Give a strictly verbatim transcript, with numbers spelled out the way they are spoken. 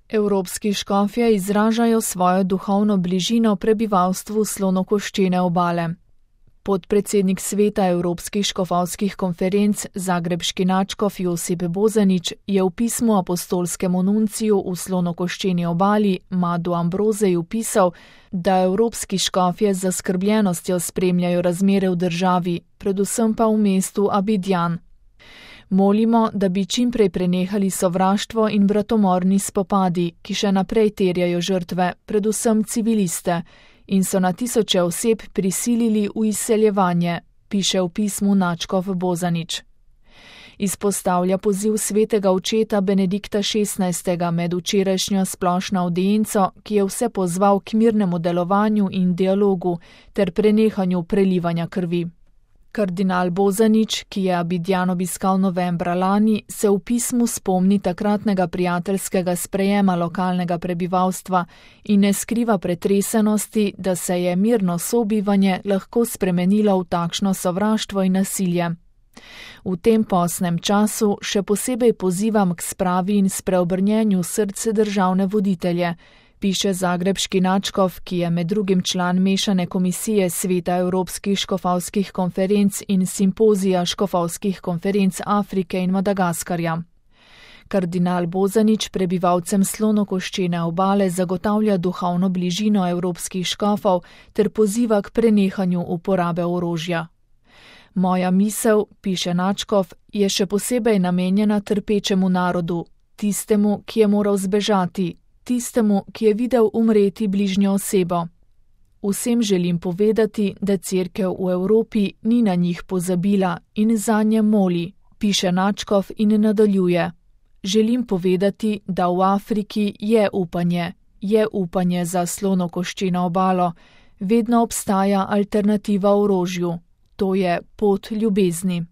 Evropski škofje izražajo svojo duhovno bližino prebivalstvu Slonokoščene obale. Podpredsednik sveta Evropskih škofovskih konferenc zagrebški nadškof Josip Bozanić je v pismu apostolskemu nunciju v Slonokoščeni obali Madu Ambrozeju pisal, da evropski škofje z zaskrbljenostjo spremljajo razmere v državi, predvsem pa v mestu Abidjan. Molimo, da bi čimprej prenehali sovraštvo in bratomorni spopadi, ki še naprej terjajo žrtve, predvsem civiliste, in so na tisoče oseb prisilili v izseljevanje, piše v pismu nadškof Bozanić. Izpostavlja poziv svetega očeta Benedikta šestnajstega med včerajšnjo splošno avdienco, ki je vse pozval k mirnemu delovanju in dialogu ter prenehanju prelivanja krvi. Kardinal Bozanić, ki je Abidjan obiskal novembra lani, se v pismu spomni takratnega prijateljskega sprejema lokalnega prebivalstva in ne skriva pretresenosti, da se je mirno sobivanje lahko spremenilo v takšno sovraštvo in nasilje. V tem postnem času še posebej pozivam k spravi in spreobrnjenju srce državne voditelje, piše zagrebški nadškof, ki je med drugim član mešane komisije sveta Evropskih škofovskih konferenc in simpozija škofovskih konferenc Afrike in Madagaskarja. Kardinal Bozanić prebivalcem Slonokoščene obale zagotavlja duhovno bližino evropskih škofov ter poziva k prenehanju uporabe orožja. Moja misel, piše nadškof, je še posebej namenjena trpečemu narodu, tistemu, ki je moral zbežati, tistemu, ki je videl umreti bližnjo osebo. Vsem želim povedati, da cerkev v Evropi ni na njih pozabila in zanje moli, piše nadškof in nadaljuje. Želim povedati, da v Afriki je upanje, je upanje za Slonokoščeno obalo, vedno obstaja alternativa orožju, to je pot ljubezni.